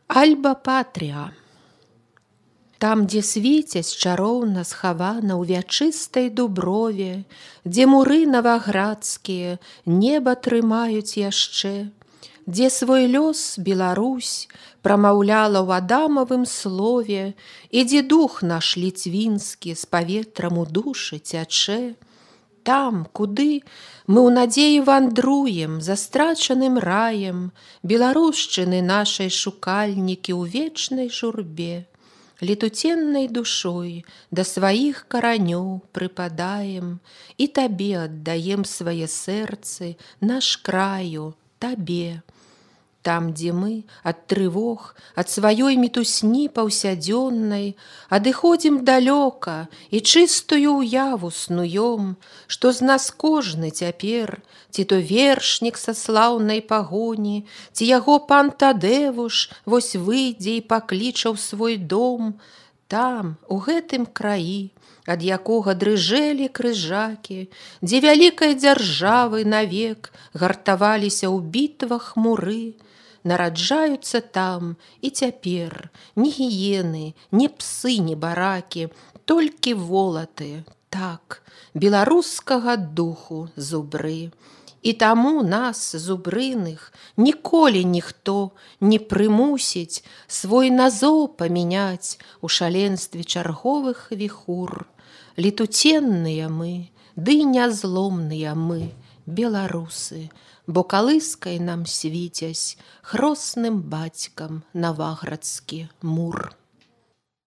Альба Патрія. Там, дзе свіцяць чароўна схавана ў вячыстай дуброве, дзе муры наваградскія неба трымаюць яшчэ, дзе свой лёс Беларусь прамаўляла ў адамавым слове, і дзе дух наш ліцвінскі з паветрам у душы цячэ, там, куды мы ў надзеі вандруем за страчаным раем, беларушчыны нашай шукальнікі ў вечнай журбе, летуценнай душой да сваіх каранёў прыпадаем і табе аддаем свае сэрцы, наш краю, табе. Там, дзе мы ад трывог, ад сваёй мітусні паўсядзённай адыходзім далёка і чыстую ўяву снуём, што з нас кожны цяпер, ці то вершнік са слаўнай пагоні, ці яго пан Тадэвуш вось выйдзе і пакліча ў свой дом. Там, у гэтым краі, ад якога дрыжэлі крыжакі, дзе вялікай дзяржавы навек гартаваліся ў бітвах муры, нараджаюцца там і цяпер ні гіены, ні псы, ні баракі, толькі волаты, так, беларускага духу зубры. І таму нас, зубрыных, ніколі ніхто не прымусіць свой назоў памяняць у шаленстве чарговых віхур. Летуценныя мы, ды нязломныя мы, беларусы, бо калыскай нам свіцясь хросным бацькам наваградскі мур.